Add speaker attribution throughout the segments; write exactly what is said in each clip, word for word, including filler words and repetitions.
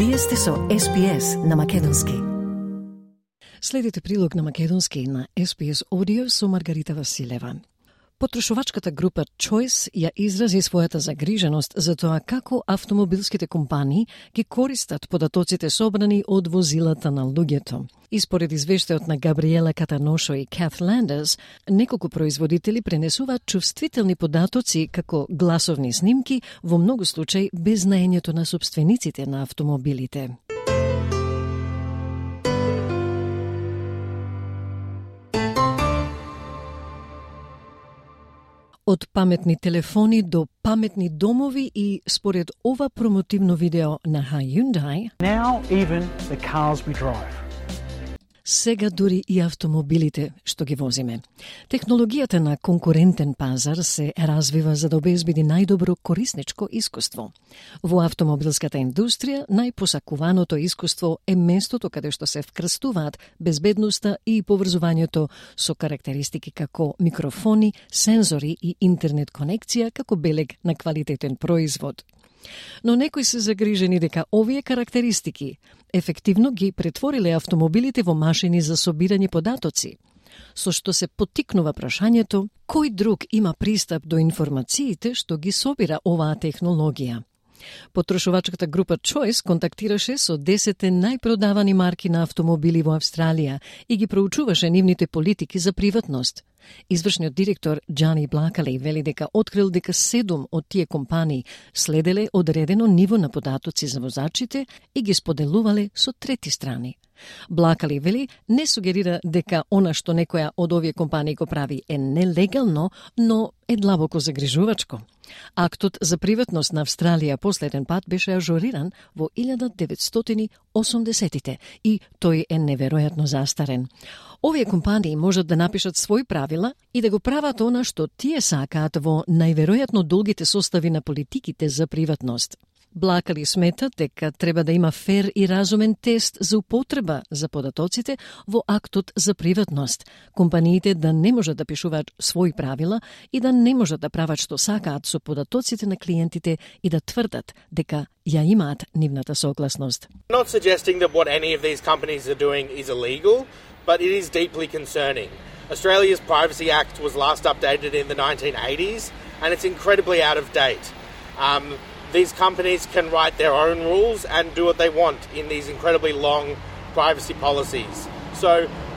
Speaker 1: Вие сте со Ес Би Ес на Македонски.
Speaker 2: Следите прилог на Македонски на Ес Би Ес Audio со Маргарита Василева. Потрошувачката група Choice ја изрази својата загриженост за тоа како автомобилските компании ги користат податоците собрани од возилата на луѓето. И според извештајот на Габриела Катаношо и Каth Landers, неколку производители пренесуваат чувствителни податоци како гласовни снимки, во многу случаи без знаењето на собствениците на автомобилите. Од паметни телефони до паметни домови и според ова промотивно видео на Hyundai,
Speaker 3: Now even the cars we drive.
Speaker 2: Сега дури и автомобилите што ги возиме. Технологијата на конкурентен пазар се развива за да обезбеди најдобро корисничко искуство. Во автомобилската индустрија најпосакуваното искуство е местото каде што се вкрстуваат безбедноста и поврзувањето со карактеристики како микрофони, сензори и интернет конекција како белег на квалитетен производ. Но некои се загрижени дека овие карактеристики ефективно ги претвориле автомобилите во машини за собирање податоци, со што се поттикнува прашањето кој друг има пристап до информациите што ги собира оваа технологија. Потрошувачката група Choice контактираше со десет најпродавани марки на автомобили во Австралија и ги проучуваше нивните политики за приватност. Извршниот директор Джани Блакали вели дека открил дека седум од тие компании следеле одредено ниво на податоци за возачите и ги споделувале со трети страни. Блакали вели не сугерира дека она што некоја од овие компании го прави е нелегално, но е длабоко загрижувачко. Актот за приватност на Австралија последен пат беше ажуриран во илјада деветстотини и осумдесетите и тој е неверојатно застарен. Овие компании можат да напишат своји правила и да го прават она што тие сакаат во најверојатно долгите состави на политиките за приватност. Блакали смета дека треба да има фер и разумен тест за употреба за податоците во актот за приватност. Компаниите да не можат да пишуваат своји правила и да не можат да прават што сакаат со податоците на клиентите и да тврдат дека ја имаат нивната согласност.
Speaker 4: Not suggesting that what any of these companies are doing is illegal, but it is deeply concerning. Australia's Privacy Act was last updated in the nineteen eighties and it's incredibly out of date. Um, These companies can write their own rules and do what they want in these incredibly long privacy policies. So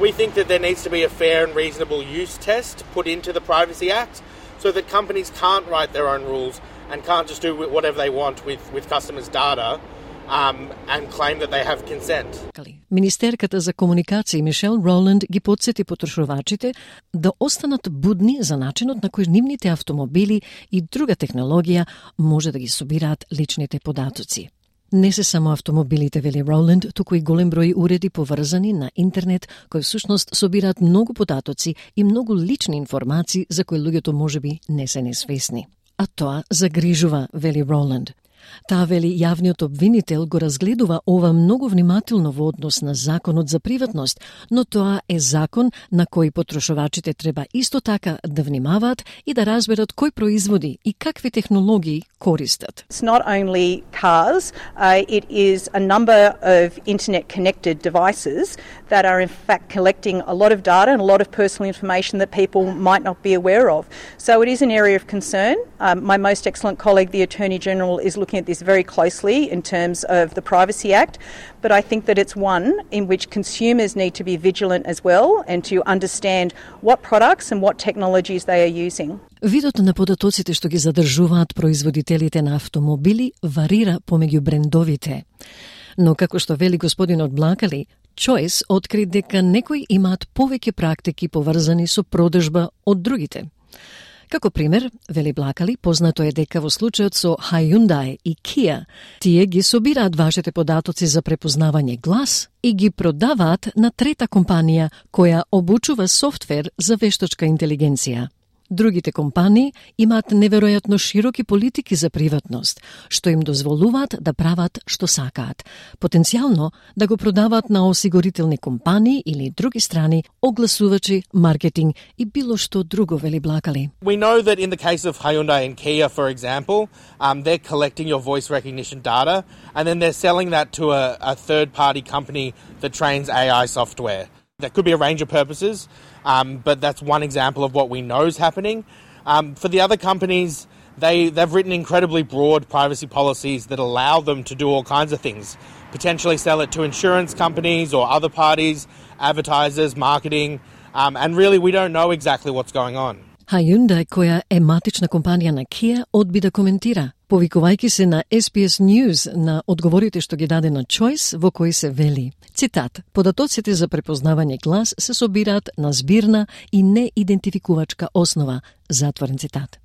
Speaker 4: we think that there needs to be a fair and reasonable use test put into the Privacy Act so that companies can't write their own rules and can't just do whatever they want with, with customers' data um, and claim that they have consent.
Speaker 2: Министерката за комуникации Мишел Роланд ги потсети потрошувачите да останат будни за начинот на кој нивните автомобили и друга технологија може да ги собираат личните податоци. Не се само автомобилите, вели Роланд, туку и голем број уреди поврзани на интернет кои всушност собираат многу податоци и многу лични информации за кои луѓето можеби не се несвесни. А тоа загрижува, вели Роланд. Таа вели јавниот обвинител го разгледува ова многу внимателно во однос на законот за приватност, но тоа е закон на кој потрошувачите треба исто така да внимаваат и да разберат кој производи и какви технологии користат.
Speaker 5: It's not only cars, uh, it is a number of internet-connected devices that are in fact collecting a lot of data and a lot of personal information that people might not be aware of. So it is an area of concern. Um, my most excellent colleague, the Attorney General, is looking at this very closely in terms of the Privacy Act, but I think that it's one in which consumers need to be vigilant as well and to understand what products and what technologies they are using.
Speaker 2: Видот на податоците што ги задржуваат производителите на автомобили варира помеѓу брендовите. Но како што вели господинот Блакали, Choice откри дека некои имаат повеќе практики поврзани со продажба од другите. Како пример, вели Блакали, познато е дека во случајот со Hyundai и Kia, тие ги собираат вашите податоци за препознавање глас и ги продаваат на трета компанија која обучува софтвер за вештачка интелигенција. Другите компании имаат неверојатно широки политики за приватност, што им дозволуваат да прават што сакаат, потенцијално да го продаваат на осигурителни компании или други страни, огласувачи, маркетинг и било што друго, вели Блакали.
Speaker 4: We know that in the case of Hyundai and Kia, for example, um, they're collecting your voice recognition data and then they're selling that to a, a third-party company that trains A I software. That could be a range of purposes, um, but that's one example of what we know is happening. Um, for the other companies, they, they've written incredibly broad privacy policies that allow them to do all kinds of things, potentially sell it to insurance companies or other parties, advertisers, marketing, um, and really we don't know exactly what's going on.
Speaker 2: Hyundai, која е матична компанија на Kia, одби да коментира, повикувајќи се на Ес Би Ес News на одговорите што ги даде на Choice, во кои се вели, цитат, податоците за препознавање глас се собираат на збирна и неидентификувачка основа, затворен цитат.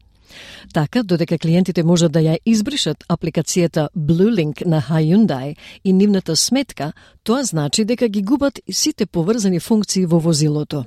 Speaker 2: Така, додека клиентите можат да ја избришат апликацијата BlueLink на Hyundai и нивната сметка, тоа значи дека ги губат сите поврзани функции во возилото.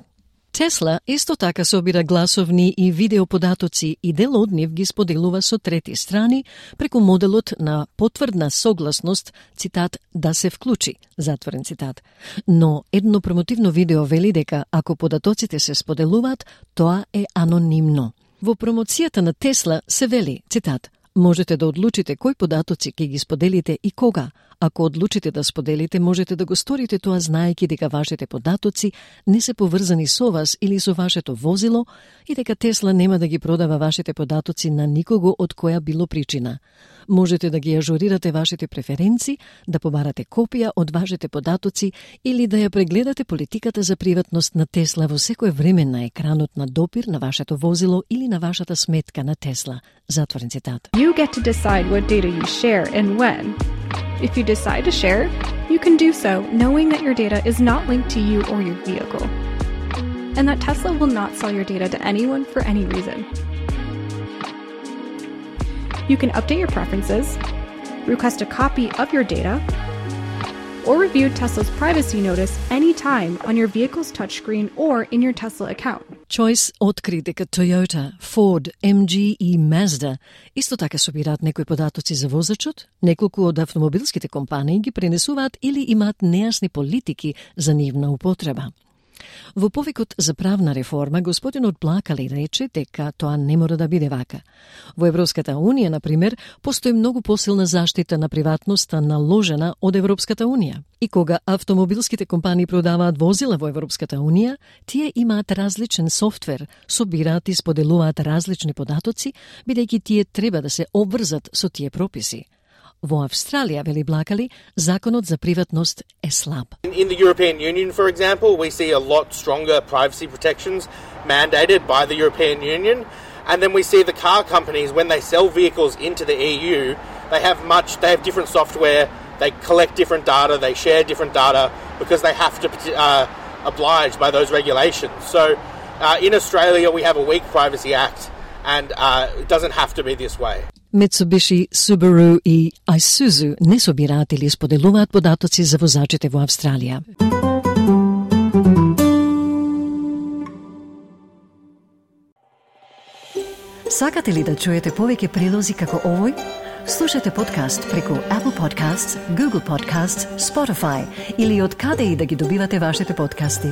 Speaker 2: Тесла исто така собира гласовни и видео податоци и дел од нив ги споделува со трети страни преку моделот на потврдна согласност, цитат, да се вклучи, затворен цитат. Но едно промотивно видео вели дека ако податоците се споделуваат, тоа е анонимно. Во промоцијата на Тесла се вели, цитат, можете да одлучите кои податоци ќе ги споделите и кога. Ако одлучите да споделите, можете да го сторите тоа знаејќи дека вашите податоци не се поврзани со вас или со вашето возило и дека Тесла нема да ги продава вашите податоци на никого од која било причина. Можете да ги ажурирате вашите преференции, да побарате копија од вашите податоци или да ја прегледате политиката за приватност на Тесла во секое време на екранот на допир на вашето возило или на вашата сметка на Тесла. Затворен цитат.
Speaker 6: You get to decide what data you share and when. If you decide to share, you can do so knowing that your data is not linked to you or your vehicle, and that Tesla will not sell your data to anyone for any reason. You can update your preferences, request a copy of your data, or review Tesla's privacy notice anytime on your vehicle's touchscreen or in your Tesla account.
Speaker 2: Choice откри дека Toyota, Ford, Ем Джи и Mazda исто така собираат некои податоци за возачот, неколку од автомобилските компании ги пренесуваат или имаат нејасни политики за нивна употреба. Во повикот за правна реформа, господинот Блакали рече дека тоа не мора да биде вака. Во Европската Унија, например, постои многу посилна заштита на приватноста наложена од Европската Унија. И кога автомобилските компании продаваат возила во Европската Унија, тие имаат различен софтвер, собираат и споделуваат различни податоци, бидејќи тие треба да се обврзат со тие прописи. Во Австралија, вели Блакали, законот за приватност е слаб.
Speaker 4: In the European Union, for example, we see a lot stronger privacy protections mandated by the European Union. And then we see the car companies, when they sell vehicles into the E U, they have much, they have different software, they collect different data, they share different data because they have to uh, oblige by those regulations. So uh, in Australia, we have a weak Privacy Act and uh, it doesn't have to be this way.
Speaker 2: Mitsubishi, Subaru и Isuzu не собираат или споделуваат податоци за возачите во Австралија.
Speaker 1: Сакате ли да чуете повеќе прилози како овој? Слушате подкаст преку Apple Podcasts, Google Podcasts, Spotify или од каде и да ги добивате вашите подкасти.